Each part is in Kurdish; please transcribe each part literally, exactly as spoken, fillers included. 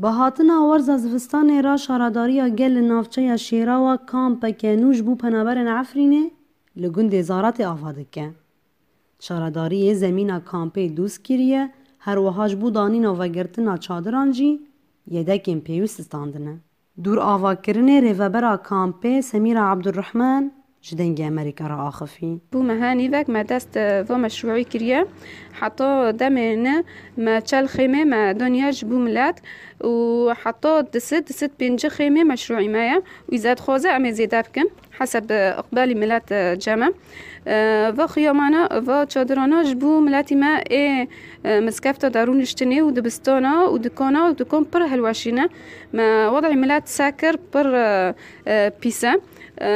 Bi hatina werza zivistanê re şaredariya gel li navçeya Şêrawa kampeke nû ji bo penaberên Efrînê li gundê Zaratê ava dike. Şaredariyê zemîna kampê dûst kiriye, her wiha ji bo danîna vegirtina çadiran jî yedekên pêwîst standine. Dûr avakirinê rêvebera kampê Semîra Abdurrahman ji Dengê Amerîka re axifî. Bû me ha nîvek me dest, e, va meşrûî kiriye. Heta demê ne me çel xêmê me daniya ji bo milet û heta disit, disit pêncî xêmê meşrûî me ye û îzet dixwaze em ê zêde bikin. Heseb, e, iqbalî milet, e, cem e. E, va xiyamana, va çadirana ji bo miletî me ê, e, miskefta darûniştinê û dibistana û dikana û dikan pir hilweşîne. Me wed'ê milet sekir pir, e, e, pîs e. E,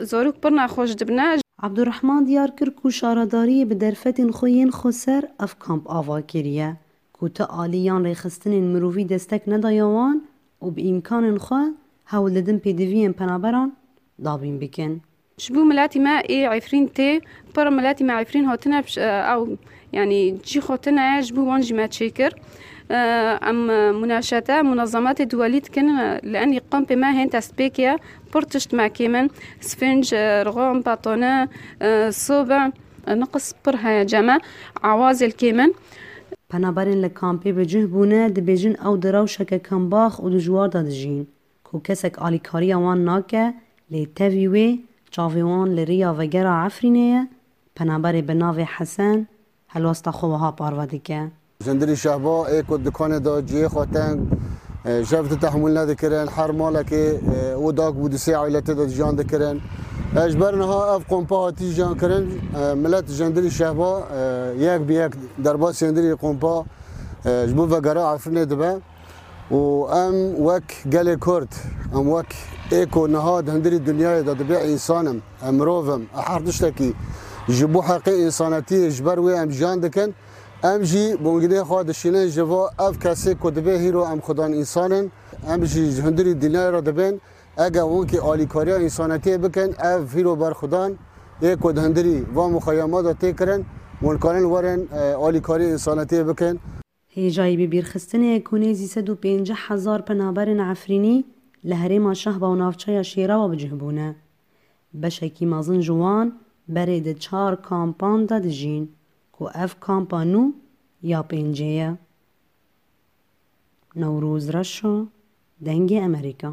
zarok pir nexweş dibine. Abdurrahman diyar kir ku şaredariyê bi derfetên xwe yên xweser ev kamp ava kiriye, ku ti alî yan rêxistinên mirovî destek nedaye wan û bi îmkanên xwe hewl didin pêdiviyên penaberan dabîn bikin. Ji bo miletî me ê Efrîn tê, pir miletî me Efrîn hatine, e, ew, yanî cî xwe tune ye, ji bo wan jî me çêkir. E, em, e, munaşete, munazemetê duwelî dikin, e, li enî kampê me hên destpêk ye, pir tişt me kêm in, sfinc, e, rixan, betone, e, sobe, e, niqis pir heye cem e, awazê li kêm in. Penaberên li kampê bi cih bûne, dibêjin ew di rewşeke kembax û dijwar de dijîn, ku kesek alîkariya wan nake, lê tevî wê çavê wan li riya vegera Efrînê ye, penaberê bi navê Hesen helwesta xwe wiha parve dike. Ji hundirî Şehba ê ku dikanê de cihê xwe teng, e, jev tu tehmûl nedikirin, her malekê, e, û dak bû di sê aîletê de jiyan dikirin. E, ji ber niha ev kompa hatî jiyan kirin, e, milet ji hundirî Şehba, e, yek bi yek derbasî hundirî kompa, e, ji bo vegera Efrînê dibe. Û em wek gelê Kurd, em wek ê ku niha di hundirî dinyayê de dibê însan im, em mirov im, e her tiştekî ji bo heqê însanetiyê ji ber wê em jiyan dikin, em jî bongînê xwe dişînin ji va ev kesê ku dibê hîro em xudan însan in, em jî ji hundirî dinyayê re dibên, ege hûn kî alîkariya însanetiyê bikin, ev hîro berxudan ê ku di hundirî va muxeyema de tê kirin, hûn karin werin, e, alîkariya însanetiyê bikin. Hêjayî bibîrxistinê ku nêzî sed û pêncî hezar penaberên Efrînî li herêma Şehba û navçeya Şêrawa bi cih bûne. Beşekî mezin ji wan berê di çar kampan de dijîn, ku ev kampa nû ya pêncê ye. Newroz Reşo, Dengê Amerîka.